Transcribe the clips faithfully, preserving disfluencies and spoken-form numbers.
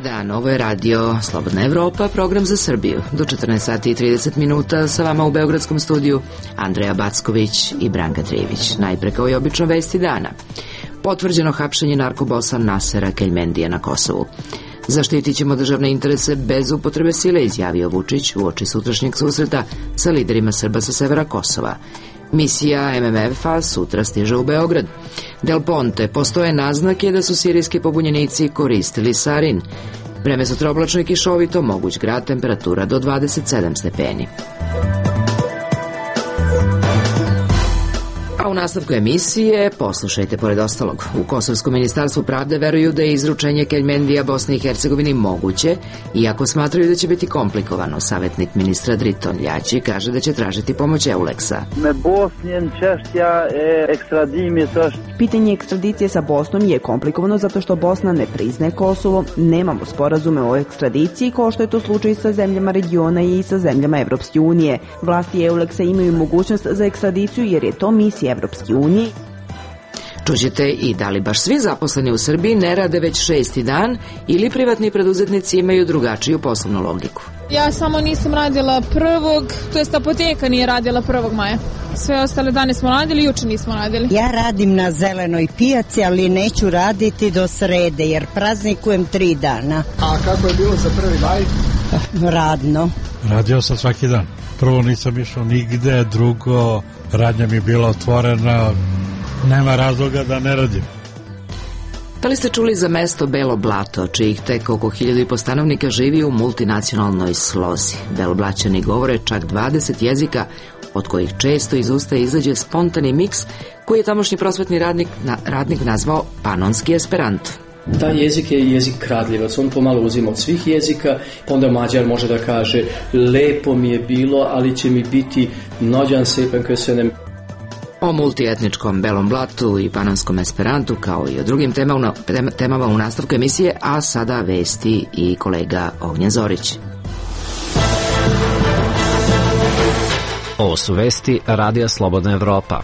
dan, ovo je radio Slobodna Evropa, program za Srbiju. Do četrnaest sati i trideset minuta sa vama u beogradskom studiju Andreja Backović i Branka Trijević. Najpre kao i obično vesti dana. Potvrđeno hapšenje narkobosa Nasera Keljmendija na Kosovu. Zaštitit ćemo državne interese bez upotrebe sile, izjavio Vučić u oči sutrašnjeg susreta sa liderima Srba sa severa Kosova. Misija M M F-a sutra stiže u Beograd. Del Ponte, postoje naznake da su sirijski pobunjenici koristili sarin. Vreme sutra oblačno i kišovito, moguć grad, temperatura do dvadeset sedam stepeni. A u nastavku emisije poslušajte pored ostalog. U Kosovskom ministarstvu pravde veruju da je izručenje Keljmendija Bosni i Hercegovini moguće, iako smatraju da će biti komplikovano. Savjetnik ministra Driton Ljači kaže da će tražiti pomoć Euleksa. Pitanje ekstradicije sa Bosnom je komplikovano zato što Bosna ne priznaje Kosovo, nemamo sporazume o ekstradiciji kao što je to slučaj sa zemljama regiona i sa zemljama Evropske unije. Vlasti Euleksa imaju mogućnost za ekstradiciju jer je to misija Evropske unije. Čućete i da li baš svi zaposleni u Srbiji ne rade već šesti dan ili privatni preduzetnici imaju drugačiju poslovnu logiku. Ja samo nisam radila prvog, to jest apoteka nije radila prvog maja. Sve ostale dane smo radili, juče nismo radili. Ja radim na zelenoj pijaci, ali neću raditi do srede jer praznikujem tri dana. A kako je bilo za prvi maj? Radno. Radio sam svaki dan. Prvo nisam išao nigde, drugo radnja mi je bila otvorena, nema razloga da ne radim. Da li ste čuli za mesto Belo Blato, čijih tek oko hiljadu i po stanovnika živi u multinacionalnoj slozi? Beloblaćani govore čak dvadeset jezika, od kojih često iz usta izađe spontani miks koji je tamošnji prosvetni radnik, na, radnik nazvao panonski esperanto. Taj jezik je jezik kradljivac, on pomalo uzima od svih jezika, onda Mađar može da kaže lepo mi je bilo, ali će mi biti nođan sepen köszönöm. O multietničkom Belom Blatu i panonskom esperantu kao i o drugim temama, temama u nastavku emisije, a sada vesti i kolega Ognjen Zorić. Ovo su vesti Radija Slobodna Evropa.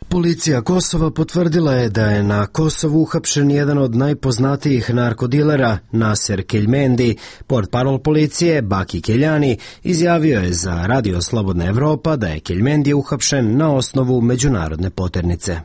Policija Kosova potvrdila je da je na Kosovu uhapšen jedan od najpoznatijih narkodilera, Naser Keljmendi. Portparol policije, Baki Keljani, izjavio je za Radio Slobodna Evropa da je Keljmendi uhapšen na osnovu međunarodne poternice.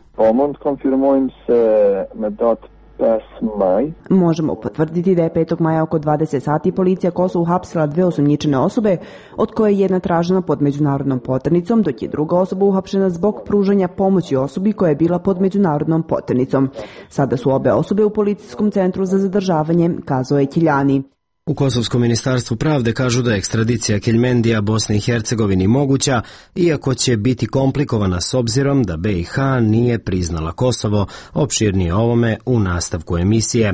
Možemo potvrditi da je petog maja oko dvadeset sati policija Kosovu uhapsila dve osumnjičene osobe, od koje je jedna tražena pod međunarodnom poternicom, dok je druga osoba uhapšena zbog pružanja pomoći osobi koja je bila pod međunarodnom poternicom. Sada su obe osobe u policijskom centru za zadržavanje, kazao je Keljani. U Kosovskom ministarstvu pravde kažu da je ekstradicija Keljmendija Bosni i Hercegovini moguća, iako će biti komplikovana s obzirom da B i H nije priznala Kosovo. Opširnije ovome u nastavku emisije.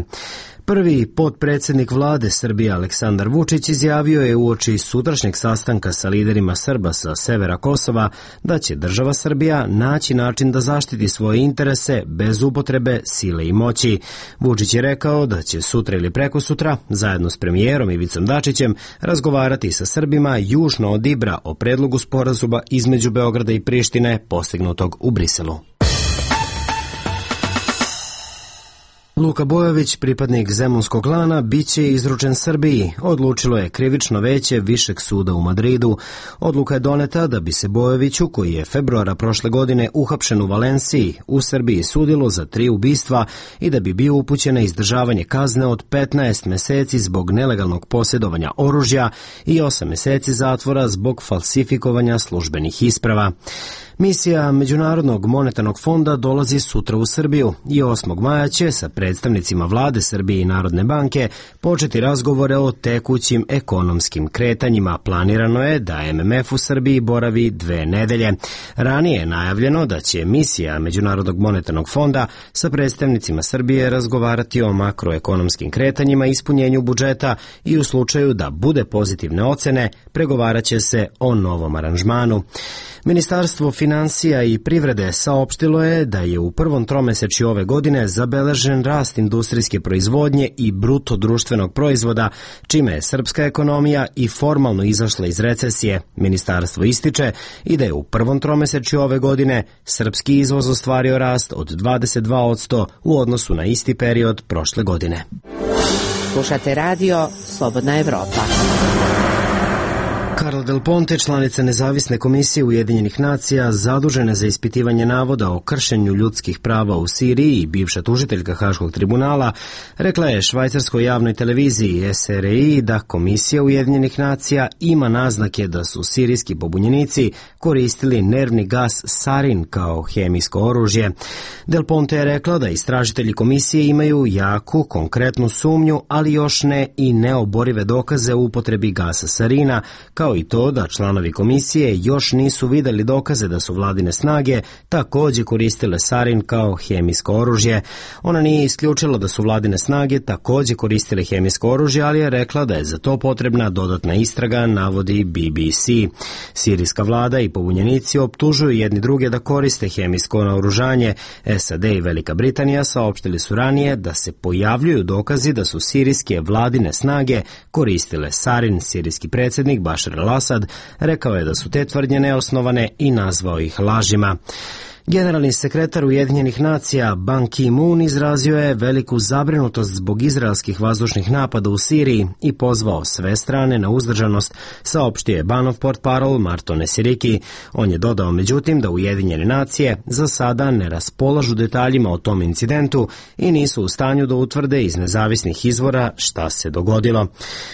Prvi potpredsjednik vlade Srbije Aleksandar Vučić izjavio je uoči sutrašnjeg sastanka sa liderima Srba sa severa Kosova da će država Srbija naći način da zaštiti svoje interese bez upotrebe sile i moći. Vučić je rekao da će sutra ili prekosutra, zajedno s premijerom Ivicom Dačićem, razgovarati sa Srbima južno od Ibra o predlogu sporazuma između Beograda i Prištine postignutog u Briselu. Luka Bojović, pripadnik zemunskog klana, bit će izručen Srbiji, odlučilo je krivično veće Višeg suda u Madridu. Odluka je doneta da bi se Bojoviću, koji je februara prošle godine uhapšen u Valenciji, u Srbiji sudilo za tri ubistva i da bi bio upućen na izdržavanje kazne od petnaest meseci zbog nelegalnog posjedovanja oružja i osam meseci zatvora zbog falsifikovanja službenih isprava. Misija Međunarodnog monetarnog fonda dolazi sutra u Srbiju i osmog maja će sa predstavnicima vlade Srbije i Narodne banke početi razgovore o tekućim ekonomskim kretanjima. Planirano je da M M F u Srbiji boravi dve nedelje. Ranije je najavljeno da će misija Međunarodnog monetarnog fonda sa predstavnicima Srbije razgovarati o makroekonomskim kretanjima i ispunjenju budžeta i u slučaju da bude pozitivne ocene pregovarat će se o novom aranžmanu. Ministarstvo financija finansija i privrede saopštilo je da je u prvom tromesečju ove godine zabeležen rast industrijske proizvodnje i bruto društvenog proizvoda, čime je srpska ekonomija i formalno izašla iz recesije. Ministarstvo ističe i da je u prvom tromesečju ove godine srpski izvoz ostvario rast od dvadeset dva posto u odnosu na isti period prošle godine. Slušate radio Slobodna Evropa. Carla Del Ponte, članica Nezavisne komisije Ujedinjenih nacija, zadužena za ispitivanje navoda o kršenju ljudskih prava u Siriji i bivša tužiteljka Haškog tribunala, rekla je švajcarskoj javnoj televiziji S R I da Komisija Ujedinjenih nacija ima naznake da su sirijski pobunjenici koristili nervni gas sarin kao hemijsko oružje. Del Ponte je rekla da istražitelji komisije imaju jaku, konkretnu sumnju, ali još ne i neoborive dokaze o upotrebi gasa sarina, kao i to da članovi komisije još nisu videli dokaze da su vladine snage takođe koristile sarin kao hemijsko oružje. Ona nije isključila da su vladine snage takođe koristile hemijsko oružje, ali je rekla da je za to potrebna dodatna istraga, navodi B B C. Sirijska vlada i pobunjenici optužuju jedni druge da koriste hemijsko naoružanje. S A D i Velika Britanija saopštili su ranije da se pojavljuju dokazi da su sirijske vladine snage koristile sarin. Sirijski predsjednik Bašar al-Asad rekao je da su te tvrdnje neosnovane i nazvao ih lažima. Generalni sekretar Ujedinjenih nacija Ban Ki-moon izrazio je veliku zabrinutost zbog izraelskih vazdušnih napada u Siriji i pozvao sve strane na uzdržanost, saopštio je Banov portparol Marto Nesiriki. On je dodao međutim da Ujedinjene nacije za sada ne raspolažu detaljima o tom incidentu i nisu u stanju da utvrde iz nezavisnih izvora šta se dogodilo.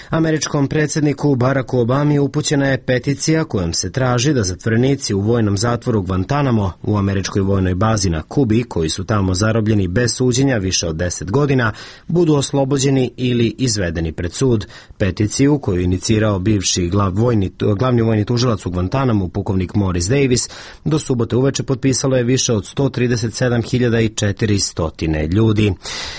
Američkom predsjedniku Baracku Obami upućena je peticija kojom se traži da zatvorenici u vojnom zatvoru Guantanamo u Američkoj vojnoj bazi na Kubi, koji su tamo zarobljeni bez suđenja više od deset godina, budu oslobođeni ili izvedeni pred sud. Peticiju koju je inicirao bivši glav vojni, glavni vojni tužilac u Guantanamu, pukovnik Morris Davis, do subote uveče potpisalo je više od sto trideset sedam hiljada četiristo ljudi.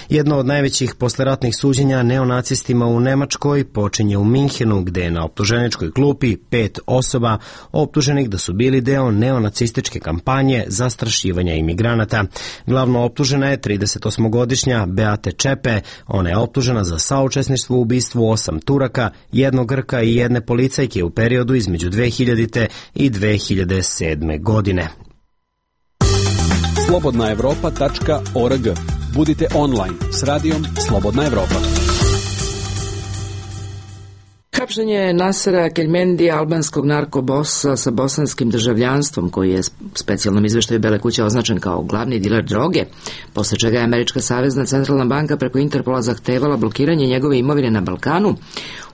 Jedno od najvećih posleratnih suđenja neonacistima u Nemačkoj počinje u Minhenu, gde je na optuženičkoj klupi pet osoba optuženih da su bili deo neonacističke kampanje za zastrašivanja imigranata. Glavno optužena je tridesetosmogodišnja Beate Čepe. Ona je optužena za saučesništvo u ubistvu osam Turaka, jednog Grka i jedne policajke u periodu između dve hiljadite i dve hiljade sedme. godine. slobodna evropa tačka org. Budite online s radijom Slobodna Evropa. Hapšenje Nasera Keljmendija, albanskog narkobosa sa bosanskim državljanstvom, koji je specijalnom izveštaju Bele kuće označen kao glavni diler droge, posle čega je Američka savezna centralna banka preko Interpola zahtevala blokiranje njegove imovine na Balkanu,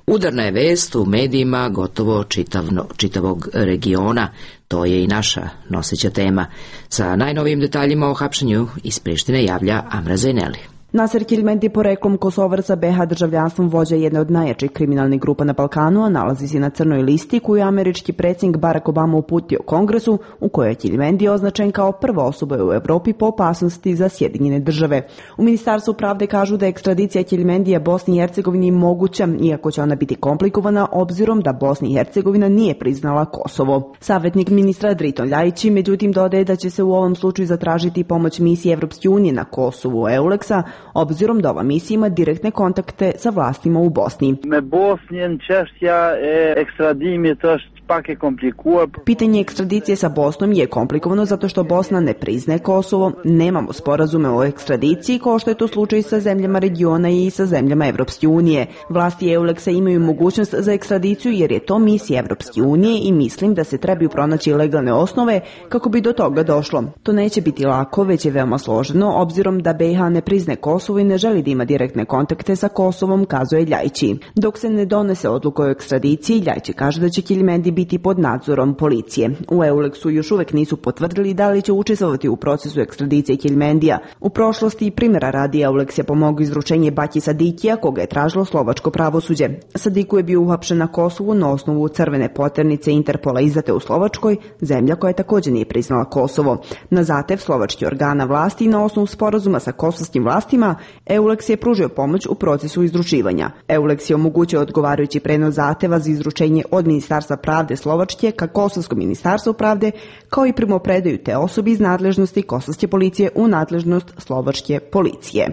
udarna je vest u medijima gotovo čitavno, čitavog regiona. To je i naša noseća tema. Sa najnovijim detaljima o hapšenju iz Prištine javlja Amra Zajneli. Naser Keljmendi, poreklom Kosovar sa B iH državljanstvom, vođa jedne od najjačih kriminalnih grupa na Balkanu, a nalazi se na crnoj listi koju je američki predsjednik Barack Obama uputio Kongresu, u kojoj je Keljmendi označen kao prva osoba u Evropi po opasnosti za Sjedinjene države. U Ministarstvu pravde kažu da je ekstradicija Keljmendija Bosni i Hercegovini moguća, iako će ona biti komplikovana obzirom da Bosna i Hercegovina nije priznala Kosovo. Savjetnik ministra Driton Ljajić međutim dodaje da će se u ovom slučaju zatražiti pomoć misije Evropske unije na Kosovu EULEX-a, obzirom da ova misija ima direktne kontakte sa vlastima u Bosni. Me Bosnjen češtja e ekstradimit është pak e komplikuar. Pitanje ekstradicije sa Bosnom je komplikovano zato što Bosna ne priznaje Kosovo, nemamo sporazume o ekstradiciji kao što je to slučaj sa zemljama regiona i sa zemljama Evropske unije. Vlasti EULEX-a imaju mogućnost za ekstradiciju jer je to misija Evropske unije i mislim da se trebaju pronaći legalne osnove kako bi do toga došlo. To neće biti lako, već je veoma složeno, obzirom da B iH ne priznaje Kosovo i ne želi da ima direktne kontakte sa Kosovom, kazuje Ljajići. Dok se ne donese odluka o ekstradiciji, Ljajići kaže da će Keljmendi biti pod nadzorom policije. U EULEX-u još uvek nisu potvrdili da li će učestvovati u procesu ekstradicije Keljmendija. U prošlosti primjera radi EULEX je pomogao izručenje Baki Sadikija, koga je tražilo slovačko pravosuđe. Sadiku je bio uhapšen na Kosovu na osnovu crvene poternice Interpola izdate u Slovačkoj, zemlja koja također nije priznala Kosovo. Na zahtev slovačkih organa vlasti i na osnovu sporazuma sa kosovskim vlastima, EULEX je pružio pomoć u procesu izručivanja. EULEX je omogućio odgovarajući prenos zahteva za izručenje od Ministarstva pravde pravde Slovačke ka Kosovskom ministarstvu pravde, kao i primopredaju te osobi iz nadležnosti kosovske policije u nadležnost slovačke policije.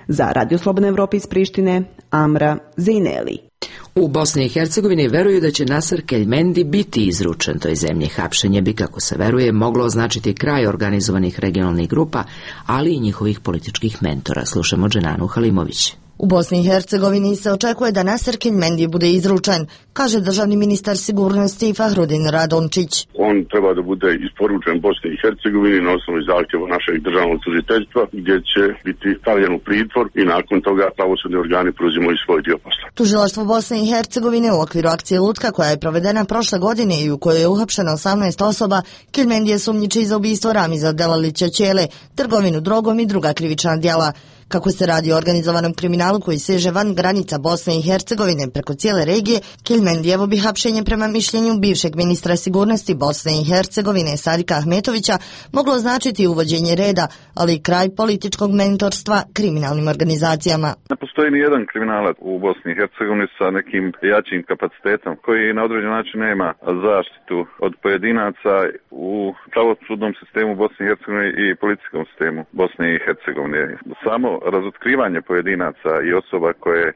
Za Radio Slobodna Evropa iz Prištine, Amra Zejneli. U Bosni i Hercegovini veruju da će Nasser Keljmendi biti izručen toj zemlji. Hapšenje bi, kako se veruje, moglo označiti kraj organizovanih regionalnih grupa, ali i njihovih političkih mentora. Slušamo Dženanu Halimović. U Bosni i Hercegovini se očekuje da Nasser Keljmendi bude izručen, kaže državni ministar sigurnosti Fahrudin Radončić. On treba da bude isporučen Bosni i Hercegovini na osnovu zahtjeva našeg državnog tužiteljstva, gdje će biti stavljen u pritvor i nakon toga pravosudni organi preuzimaju svoj dio posla. Tužilaštvo Bosne i Hercegovine u okviru akcije Lutka, koja je provedena prošle godine i u kojoj je uhapšeno osamnaest osoba, Keljmendi je sumnjiči za ubistvo Ramiza Delalića Ćele, trgovinu drogom i druga krivična djela. Kako se radi o organizovanom kriminalu koji seže van granica Bosne i Hercegovine preko cijele regije, Keljmendijevo bi hapšenje prema mišljenju bivšeg ministra sigurnosti Bosne i Hercegovine Sadika Ahmetovića moglo značiti uvođenje reda, ali i kraj političkog mentorstva kriminalnim organizacijama. Ne postoji ni jedan kriminalac u Bosni i Hercegovini sa nekim jačim kapacitetom koji na određen način nema zaštitu od pojedinaca u pravosudnom sistemu Bosne i Hercegovine i policijskom sistemu Bosne i Hercegovine. Samo razotkrivanje pojedinaca i osoba koje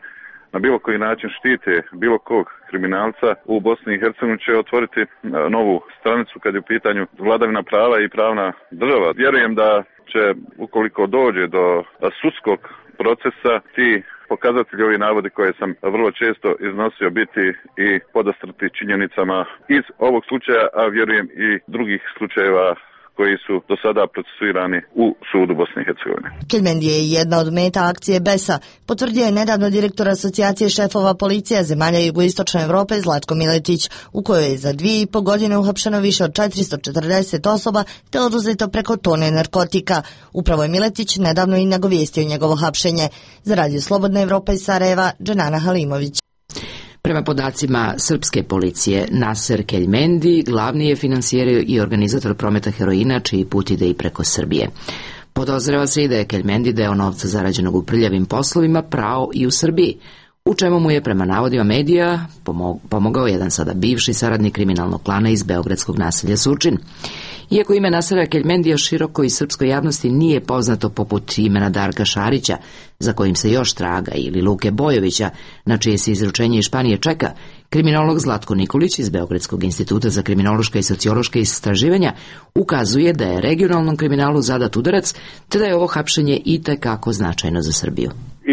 na bilo koji način štite bilo kog kriminalca u Bosni i Hercegovini će otvoriti novu stranicu kad je u pitanju vladavina prava i pravna država. Vjerujem da će, ukoliko dođe do sudskog procesa, ti pokazatelji, ovi navodi koje sam vrlo često iznosio, biti i podastrti činjenicama iz ovog slučaja, a vjerujem i drugih slučajeva koji su do sada procesuirani u sudu Bosne i Hercegovine. Keljmendi je jedna od meta akcije Besa, potvrdio je nedavno direktor asocijacije šefova policija zemalja jugoistočne Evrope Zlatko Miletić, u kojoj je za dvije i po godine uhapšeno više od četiristo četrdeset osoba te oduzeto preko tone narkotika. Upravo je Miletić nedavno i nagovijestio njegovo hapšenje. Za Radio Slobodna Evropa iz Sarajeva, Dženana Halimović. Prema podacima srpske policije, Nasser Keljmendi glavni je finansijer i organizator prometa heroina, čiji put ide i preko Srbije. Podozreva se i da je Keljmendi deo novca zarađenog u prljavim poslovima prao i u Srbiji, u čemu mu je prema navodima medija pomogao jedan sada bivši saradnik kriminalnog klana iz beogradskog naselja Surčin. Iako ime Nasera Keljmendija široko i srpskoj javnosti nije poznato poput imena Darka Šarića, za kojim se još traga, ili Luke Bojovića, na čije se izručenje iz Španije čeka, kriminolog Zlatko Nikolić iz Beogradskog instituta za kriminološka i sociološka istraživanja ukazuje da je regionalnom kriminalu zadat udarac, te da je ovo hapšenje itekako značajno za Srbiju.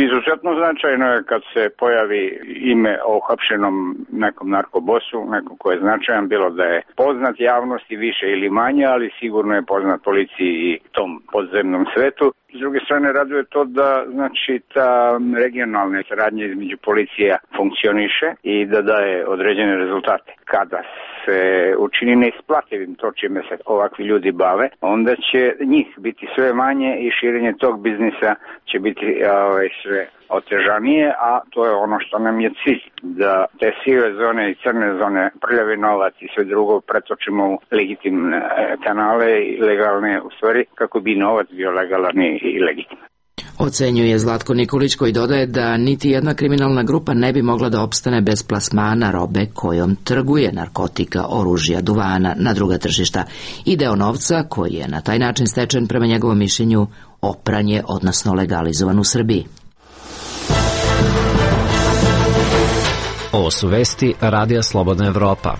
Izuzetno značajno je kad se pojavi ime o uhapšenom nekom narkobosu, nekom ko je značajan, bilo da je poznat javnosti više ili manje, ali sigurno je poznat policiji i tom podzemnom svetu. S druge strane, raduje to da znači ta regionalna saradnja između policija funkcioniše i da daje određene rezultate. Kada se učini neisplativim to čime se ovakvi ljudi bave, onda će njih biti sve manje i širenje tog biznisa će biti ovaj, sve otežanije, a to je ono što nam je cilj, da te sive zone i crne zone, prljavi novac i sve drugo pretočimo u legitimne kanale i legalne u stvari, kako bi novac bio legalan i legitiman. Ocenjuje Zlatko Nikolić, koji dodaje da niti jedna kriminalna grupa ne bi mogla da opstane bez plasmana robe kojom trguje, narkotika, oružja, duvana na druga tržišta i deo novca koji je na taj način stečen prema njegovom mišljenju opranje, odnosno legalizovan u Srbiji. Ovo su vesti Radija Slobodna Evropa.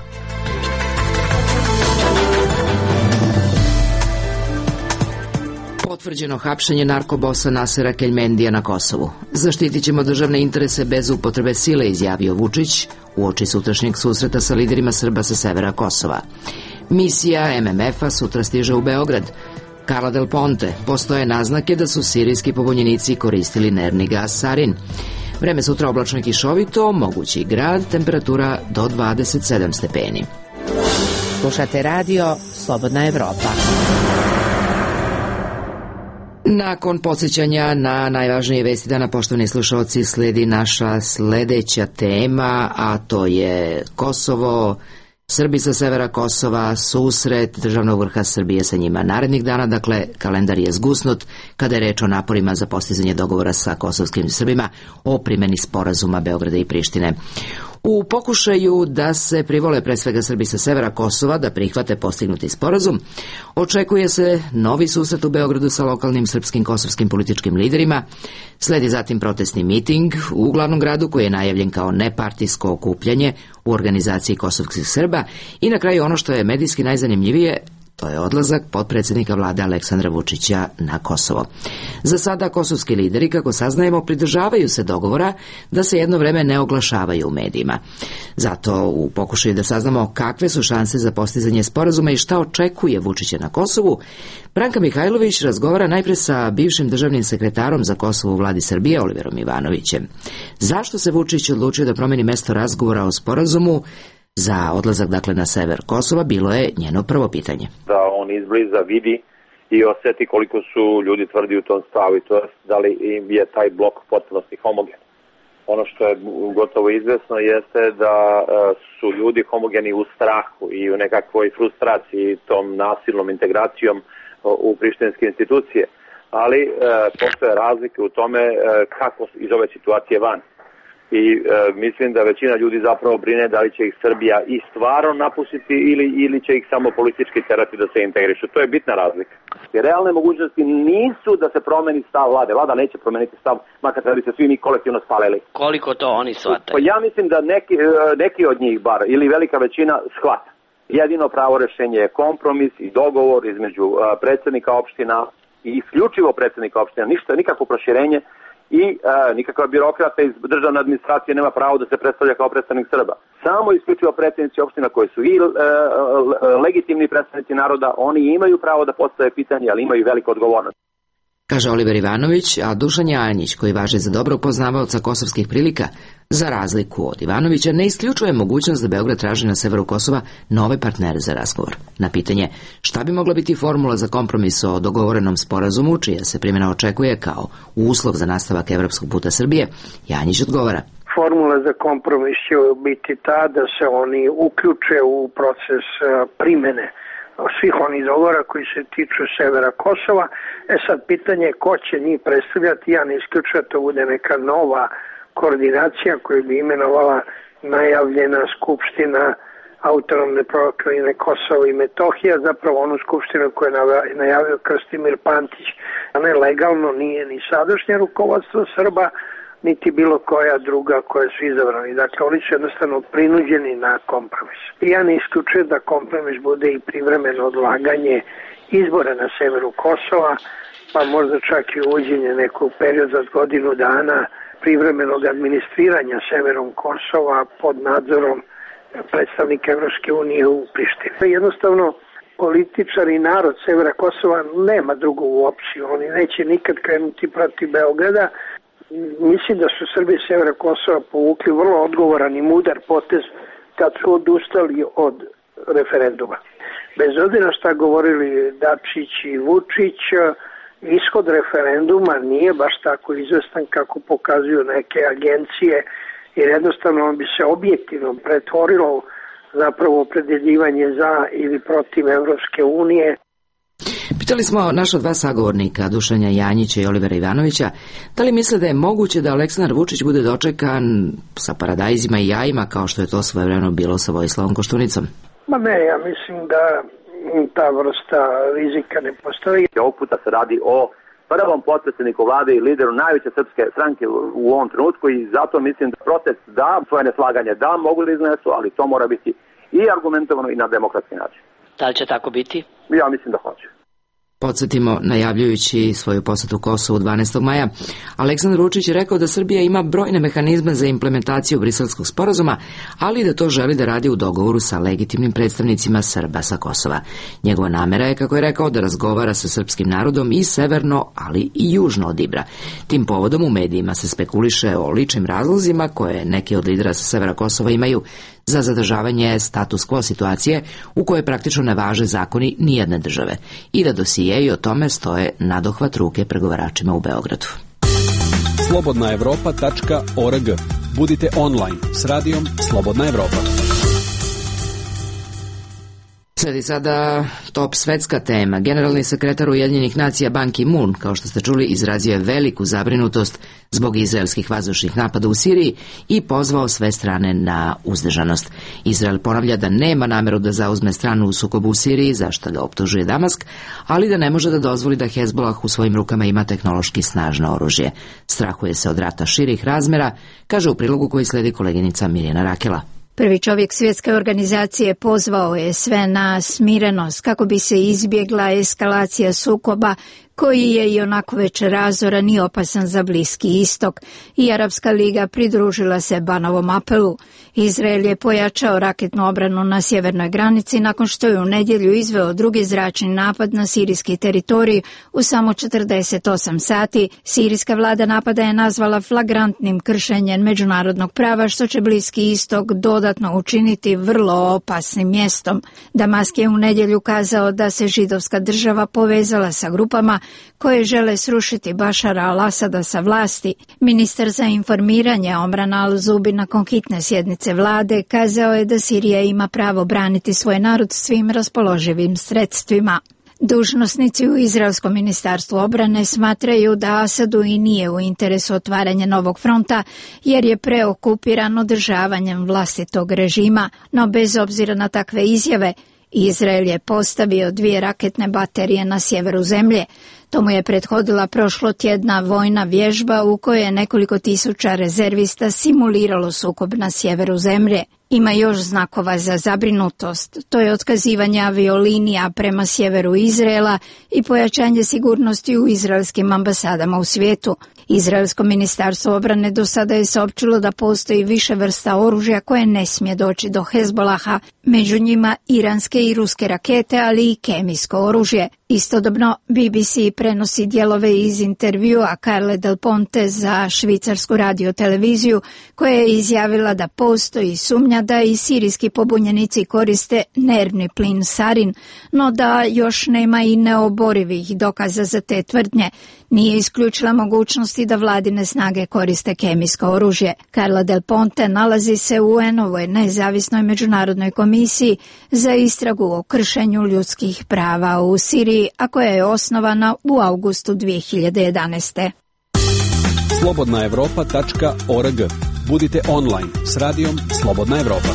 Potvrđeno hapšenje narkobosa Nasera Keljmendija na Kosovu. Zaštitit ćemo državne interese bez upotrebe sile, izjavio Vučić uoči sutrašnjeg susreta sa liderima Srba sa severa Kosova. Misija em em ef-a sutra stiže u Beograd. Carla Del Ponte, postoje naznake da su sirijski pobunjenici koristili nervni gas sarin. Vreme sutra oblačno i kišovito, mogući grad, temperatura do dvadeset sedam stepeni. Slušate radio Slobodna Evropa. Nakon podsjećanja na najvažnije vesti dana, poštovani slušalci, sledi naša sledeća tema, a to je Kosovo, Srbi sa severa Kosova, susret državnog vrha Srbije sa njima narednih dana, dakle kalendar je zgusnut kada je reč o naporima za postizanje dogovora sa kosovskim Srbima o primjeni sporazuma Beograda i Prištine. U pokušaju da se privole pre svega Srbi sa severa Kosova da prihvate postignuti sporazum, očekuje se novi susret u Beogradu sa lokalnim srpskim kosovskim političkim liderima, sledi zatim protestni miting u glavnom gradu koji je najavljen kao nepartijsko okupljanje u organizaciji kosovskih Srba i na kraju ono što je medijski najzanimljivije, to je odlazak potpredsjednika vlade Aleksandra Vučića na Kosovo. Za sada kosovski lideri, kako saznajemo, pridržavaju se dogovora da se jedno vreme ne oglašavaju u medijima. Zato u pokušaju da saznamo kakve su šanse za postizanje sporazuma i šta očekuje Vučića na Kosovu, Branka Mihajlović razgovara najpre sa bivšim državnim sekretarom za Kosovo u vladi Srbije, Oliverom Ivanovićem. Zašto se Vučić odlučio da promeni mesto razgovora o sporazumu za odlazak dakle na sever Kosova, bilo je njeno prvo pitanje. Da on izbliza vidi i oseti koliko su ljudi tvrdi u tom stavu i to je da li je taj blok potpunosti homogen. Ono što je gotovo izvesno jeste da su ljudi homogeni u strahu i u nekakvoj frustraciji tom nasilnom integracijom u prištinske institucije, ali e, postoje razlike u tome e, kako iz ove situacije van. I e, mislim da većina ljudi zapravo brine da li će ih Srbija i stvarno napustiti ili, ili će ih samo politički terati da se integrišu. To je bitna razlika. Jer realne mogućnosti nisu da se promeni stav vlade. Vlada neće promeniti stav, makar da bi se svi mi kolektivno spalili. Koliko to oni shvataju? Pa ja mislim da neki, neki od njih bar, ili velika većina, shvata. Jedino pravo rešenje je kompromis i dogovor između uh, predsjednika opština i isključivo predsjednika opština. Ništa, nikakvo proširenje. I e, nikakva birokrata iz državne administracije nema pravo da se predstavlja kao predstavnik Srba. Samo isključivo predsjednici opština koji su i e, legitimni predstavnici naroda, oni imaju pravo da postave pitanje, ali imaju veliku odgovornost. Kaže Oliver Ivanović, a Dušan Janjić, koji važi za dobrog poznavaoca kosovskih prilika, za razliku od Ivanovića, ne isključuje mogućnost da Beograd traži na severu Kosova nove partnere za razgovor. Na pitanje šta bi mogla biti formula za kompromis o dogovorenom sporazumu, čija se primjena očekuje kao uslov za nastavak evropskog puta Srbije, Janjić odgovara. Formula za kompromis će biti ta da se oni uključe u proces primjene svih onih dogovora koji se tiču severa Kosova. E sad, pitanje je ko će njih predstavljati. Ja ne isključujem da to bude neka nova koordinacija koju bi imenovala najavljena skupština autonomne pokrajine Kosovo i Metohija, zapravo onu skupštinu koju je najavio Krstimir Pantić. A ne legalno nije ni sadašnje rukovodstvo Srba, niti bilo koja druga koja su izabrani. Dakle, oni su jednostavno prinuđeni na kompromis. I ja ne isključujem da kompromis bude i privremeno odlaganje izbora na severu Kosova, pa možda čak i uvođenje nekog perioda od godinu dana privremenog administriranja severom Kosova pod nadzorom predstavnika Evropske unije u Prištini. Jednostavno, političari i narod severa Kosova nema drugu opciju. Oni neće nikad krenuti protiv Beograda. Mislim da su Srbi severa Kosova povukli vrlo odgovoran i mudar potez kad su odustali od referenduma. Bez obzira šta govorili Dačić i Vučić, ishod referenduma nije baš tako izvestan kako pokazuju neke agencije, jer jednostavno on bi se objektivno pretvorilo zapravo opredeljivanje za ili protiv Evropske unije. Pitali smo naša dva sagovornika, Dušanja Janjića i Olivera Ivanovića, da li misle da je moguće da Aleksandar Vučić bude dočekan sa paradajzima i jajima kao što je to svojevremeno bilo sa Vojislavom Koštunicom? Ma ne, ja mislim da ta vrsta rizika ne postoji. Ovog puta se radi o prvom potpredsjedniku vlade i lideru najveće srpske stranke u ovom trenutku i zato mislim da protest da, svoje neslaganje da, mogu li iznesu, ali to mora biti i argumentovano i na demokratski način. Da li će tako biti? Ja mislim da hoće. Podsjetimo, najavljujući svoju posetu Kosovu dvanaestog maja, Aleksandar Vučić je rekao da Srbija ima brojne mehanizme za implementaciju Briselskog sporazuma, ali da to želi da radi u dogovoru sa legitimnim predstavnicima Srba sa Kosova. Njegova namera je, kako je rekao, da razgovara sa srpskim narodom i severno, ali i južno od Ibra. Tim povodom u medijima se spekuliše o ličnim razlozima koje neki od lidera sa severa Kosova imaju za zadržavanje status quo situacije u kojoj praktično ne važe zakoni nijedne države i da dosije i o tome stoje nadohvat ruke pregovaračima u Beogradu. slobodna evropa tačka org. Budite online s radijom Slobodna Evropa. Sledi sada top svetska tema. Generalni sekretar Ujedinjenih nacija Ban Ki-moon, kao što ste čuli, izrazio je veliku zabrinutost zbog izraelskih vazdušnih napada u Siriji i pozvao sve strane na uzdržanost. Izrael ponavlja da nema nameru da zauzme stranu u sukobu u Siriji, za što ga optužuje Damask, ali da ne može da dozvoli da Hezbolah u svojim rukama ima tehnološki snažno oružje. Strahuje se od rata širih razmera, kaže u prilogu koji sledi koleginica Mirjana Rakela. Prvi čovjek svjetske organizacije pozvao je sve na smirenost kako bi se izbjegla eskalacija sukoba koji je i onako već razoran i opasan za Bliski istok, i Arapska liga pridružila se Banovom apelu. Izrael je pojačao raketnu obranu na sjevernoj granici nakon što je u nedjelju izveo drugi zračni napad na sirijski teritorij u samo četrdeset osam sati. Sirijska vlada napada je nazvala flagrantnim kršenjem međunarodnog prava, što će Bliski istok dodatno učiniti vrlo opasnim mjestom. Damask je u nedjelju kazao da se židovska država povezala sa grupama koje žele srušiti Bašara al-Asada sa vlasti. Ministar za informiranje Omran al-Zubi nakon hitne sjednice vlade kazao je da Sirija ima pravo braniti svoj narod svim raspoloživim sredstvima. Dužnosnici u Izraelskom ministarstvu obrane smatraju da Asadu i nije u interesu otvaranja novog fronta, jer je preokupiran održavanjem vlastitog režima, no bez obzira na takve izjave, Izrael je postavio dvije raketne baterije na sjeveru zemlje. Tomu je prethodila prošlotjedna vojna vježba u kojoj je nekoliko tisuća rezervista simuliralo sukob na sjeveru zemlje. Ima još znakova za zabrinutost. To je otkazivanje aviolinija prema sjeveru Izraela i pojačanje sigurnosti u izraelskim ambasadama u svijetu. Izraelsko ministarstvo obrane do sada je saopćilo da postoji više vrsta oružja koje ne smije doći do Hezbolaha, među njima iranske i ruske rakete, ali i kemijsko oružje. Istodobno B B C prenosi dijelove iz intervjua Carle Del Ponte za švicarsku radioteleviziju, koja je izjavila da postoji sumnja da i sirijski pobunjenici koriste nervni plin sarin, no da još nema i neoborivih dokaza za te tvrdnje. Nije isključila mogućnosti da vladine snage koriste kemijsko oružje. Carla Del Ponte nalazi se u U N-ovoj nezavisnoj međunarodnoj komisiji za istragu o kršenju ljudskih prava u Siriji, a koja je osnovana u avgustu dvije hiljade jedanaeste. slobodna evropa tačka org. Budite online s radijom Slobodna Evropa.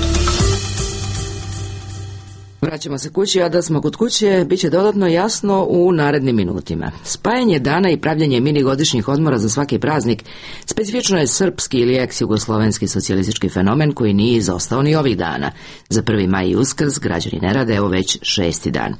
Vraćamo se kući, a da smo kod kuće bit će dodatno jasno u narednim minutima. Spajanje dana i pravljanje mini godišnjih odmora za svaki praznik specifično je srpski ili ex-jugoslovenski socijalistički fenomen koji nije izostao ni ovih dana. Za prvi maj i Uskrs građani ne rade, evo već šesti dan.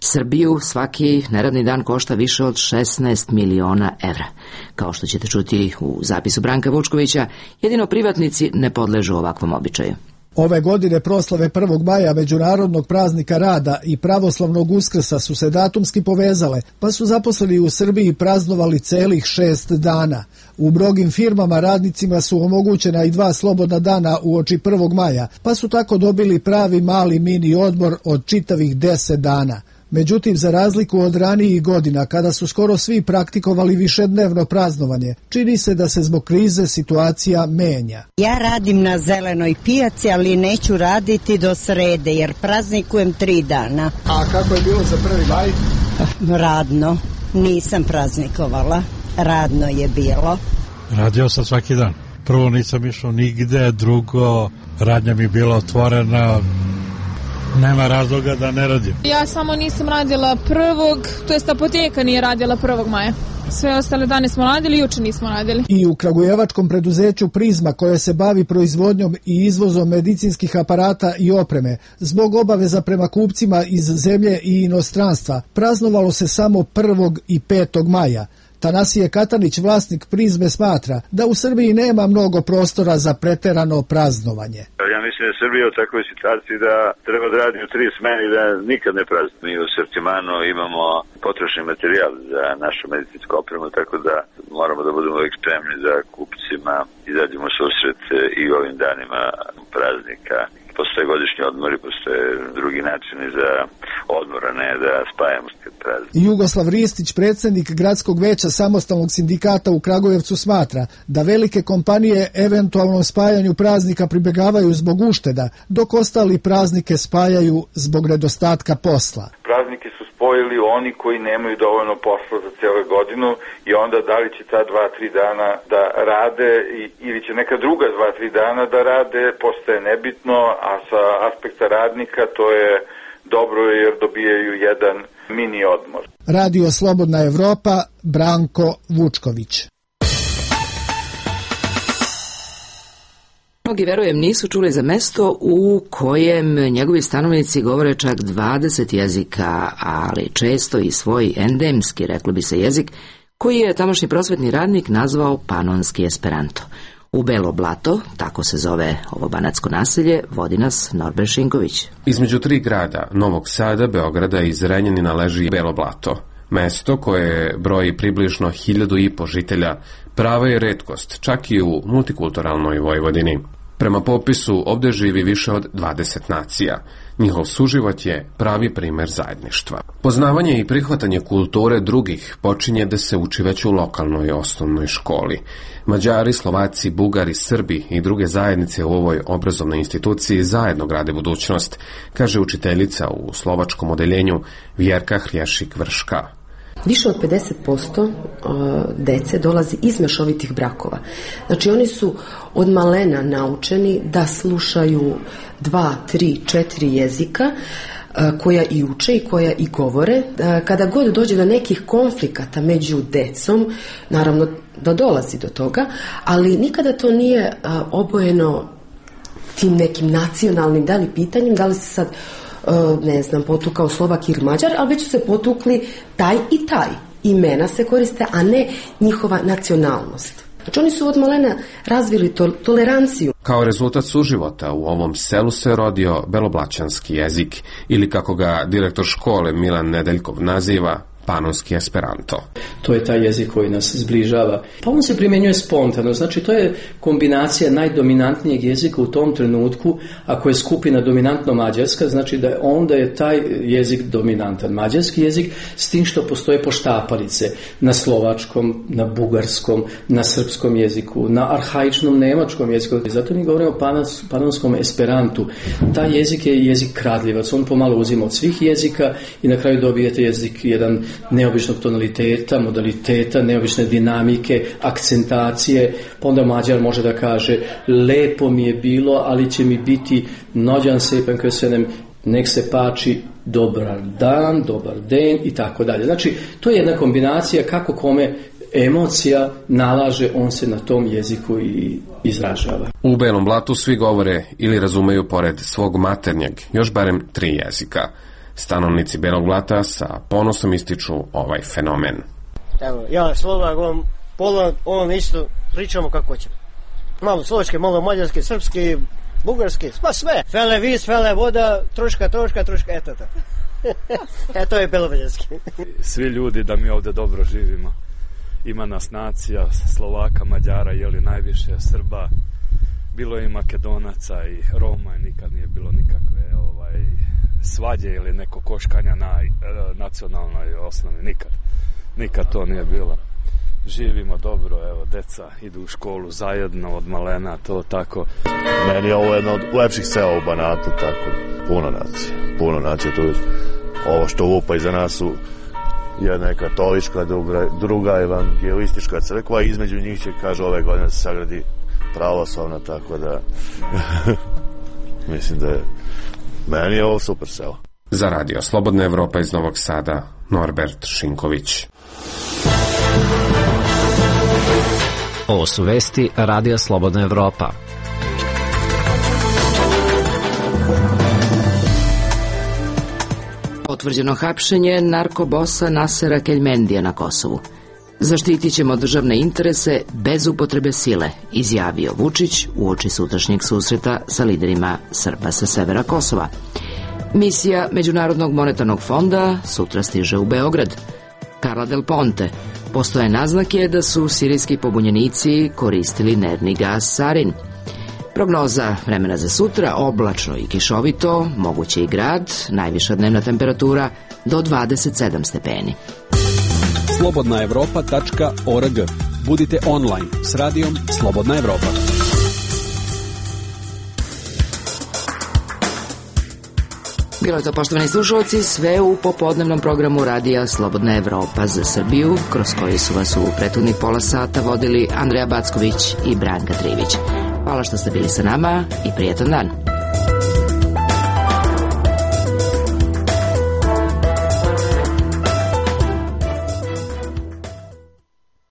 Srbiju svaki neradni dan košta više od šesnaest miliona evra. Kao što ćete čuti u zapisu Branka Vučkovića, jedino privatnici ne podležu ovakvom običaju. Ove godine proslave prvog maja, međunarodnog praznika rada, i pravoslavnog Uskrsa su se datumski povezale, pa su zaposleni u Srbiji praznovali celih šest dana. U mnogim firmama radnicima su omogućena i dva slobodna dana uoči prvog maja, pa su tako dobili pravi mali mini odmor od čitavih deset dana. Međutim, za razliku od ranijih godina, kada su skoro svi praktikovali višednevno praznovanje, čini se da se zbog krize situacija menja. Ja radim na zelenoj pijaci, ali neću raditi do srede, jer praznikujem tri dana. A kako je bilo za prvi maj? Radno. Nisam praznikovala. Radno je bilo. Radio sam svaki dan. Prvo nisam išao nigde, drugo radnja mi je bila otvorena. Nema razloga da ne radim. Ja samo nisam radila prvog, to jest apoteka nije radila prvog maja. Sve ostale dane smo radili, juče nismo radili. I u kragujevačkom preduzeću Prizma, koje se bavi proizvodnjom i izvozom medicinskih aparata i opreme, zbog obaveza prema kupcima iz zemlje i inostranstva, praznovalo se samo prvog i petog maja. Tanasije Katanić, vlasnik Prizme, smatra da u Srbiji nema mnogo prostora za preterano praznovanje. Ja mislim da je Srbija u takvoj situaciji da treba da radi u tri smene i da nikad ne prazni. Mi u sortimanu imamo potrošni materijal za našu medicinsku opremu, tako da moramo da budemo uvijek spremni da kupcima izađemo susret i u ovim danima praznika. postoje godišnji odmori, postoje drugi načini za odmor, a ne da spajamo praznik. Jugoslav Ristić, predsjednik Gradskog veća Samostalnog sindikata u Kragujevcu, smatra da velike kompanije eventualnom spajanju praznika pribjegavaju zbog ušteda, dok ostali praznike spajaju zbog nedostatka posla. Praznike su spojili oni koji nemaju dovoljno posla za cijelu godinu i onda da li će ta dva, tri dana da rade ili će neka druga dva, tri dana da rade, postaje nebitno, a sa aspekta radnika to je dobro jer dobijaju jedan mini odmor. Radio Slobodna Evropa, Branko Vučković. Mnogi, verujem, nisu čuli za mesto u kojem njegovi stanovnici govore čak dvadeset jezika, ali često i svoj endemski, reklo bi se, jezik, koji je tamošnji prosvetni radnik nazvao panonski esperanto. U Belo Blato, tako se zove ovo banatsko naselje, vodi nas Norbert Šinković. Između tri grada, Novog Sada, Beograda i Zrenjanina, leži Belo Blato. Mesto koje broji približno hiljadu i po žitelja prava je retkost, čak i u multikulturalnoj Vojvodini. Prema popisu ovdje živi više od dvadeset nacija. Njihov suživot je pravi primer zajedništva. Poznavanje i prihvatanje kulture drugih počinje da se uči već u lokalnoj osnovnoj školi. Mađari, Slovaci, Bugari, Srbi i druge zajednice u ovoj obrazovnoj instituciji zajedno grade budućnost, kaže učiteljica u slovačkom odeljenju Vjerka Hrješik-Vrška. Više od pedeset posto dece dolazi iz mešovitih brakova. Znači oni su od malena naučeni da slušaju dva, tri, četiri jezika koja i uče i koja i govore. Kada god dođe do nekih konflikata među decom, naravno da dolazi do toga, ali nikada to nije obojeno tim nekim nacionalnim da li pitanjem, da li se sad ne znam, potukao Slovak ili Mađar, ali već su se potukli taj i taj. Imena se koriste, a ne njihova nacionalnost. Znači oni su od malena razvili to, toleranciju. Kao rezultat suživota u ovom selu se rodio beloblaćanski jezik, ili kako ga direktor škole Milan Nedeljkov naziva, panonski esperanto. To je taj jezik koji nas zbližava. Pa on se primjenjuje spontano, znači to je kombinacija najdominantnijeg jezika u tom trenutku, ako je skupina dominantno mađarska, znači da je onda je taj jezik dominantan. Mađarski jezik, s tim što postoje poštapalice na slovačkom, na bugarskom, na srpskom jeziku, na arhaičnom nemačkom jeziku. Zato mi govorimo o panons, panonskom esperantu. Taj jezik je jezik kradljivac, on pomalo uzima od svih jezika i na kraju dobijete jezik jedan neobičnog tonaliteta, modaliteta, neobične dinamike, akcentacije, pa onda Mađar može da kaže lepo mi je bilo, ali će mi biti nođan sepen köszönöm, nek se pači dobar dan, dobar den i tako dalje. Znači, to je jedna kombinacija kako kome emocija nalaže, on se na tom jeziku i izražava. U Belom Blatu svi govore ili razumeju pored svog maternjeg još barem tri jezika. Stanovnici Belog Blata sa ponosom ističu ovaj fenomen. Evo, ja Slovak, on, pola, on isto pričamo kako ćemo. Malo slovačke, malo mađarske, srpske, bugarske, pa sve. Fele vis, fele voda, troška, troška, troška, eto to. E, to je belovađanski. Svi ljudi da mi ovde dobro živimo. Ima nas nacija, Slovaka, Mađara, jeli najviše, Srba, bilo je i Makedonaca i Roma, i nikad nije bilo nikakve ovaj, svađe ili neko koškanja na e, nacionalnoj osnovi, nikad. Nikad to nije bilo. Živimo dobro, evo, deca idu u školu zajedno od malena, to tako. Meni je ovo jedno od lepših sela u Banatu, tako, puno nacija, puno nacija, tu ovo što lupa iza nas su jedna je katolička, druga, druga evangelistička crkva, između njih će, kaže, ove godine se sagradi pravoslavna, tako da mislim da je meni je ovo super selo. Za Radio Slobodna Evropa iz Novog Sada, Norbert Šinković. Ovo su vesti Radija Slobodna Evropa. Potvrđeno hapšenje narkobosa Nasera Keljmendija na Kosovu. Zaštitit ćemo državne interese bez upotrebe sile, izjavio Vučić uoči sutrašnjeg susreta sa liderima Srba sa severa Kosova. Misija Međunarodnog monetarnog fonda sutra stiže u Beograd. Carla Del Ponte. Postoje naznake da su sirijski pobunjenici koristili nervni gas sarin. Prognoza vremena za sutra, oblačno i kišovito, moguće i grad, najviša dnevna temperatura do dvadeset sedam stepeni. slobodna evropa tačka org. Budite online s radijom Slobodna Evropa. Bilo je to, poštovani slušalci, sve u popodnevnom programu radija Slobodna Evropa za Srbiju, kroz koji su vas u prethodnih pola sata vodili Andreja Backović i Branka Trivić. Hvala što ste bili sa nama i prijetan dan.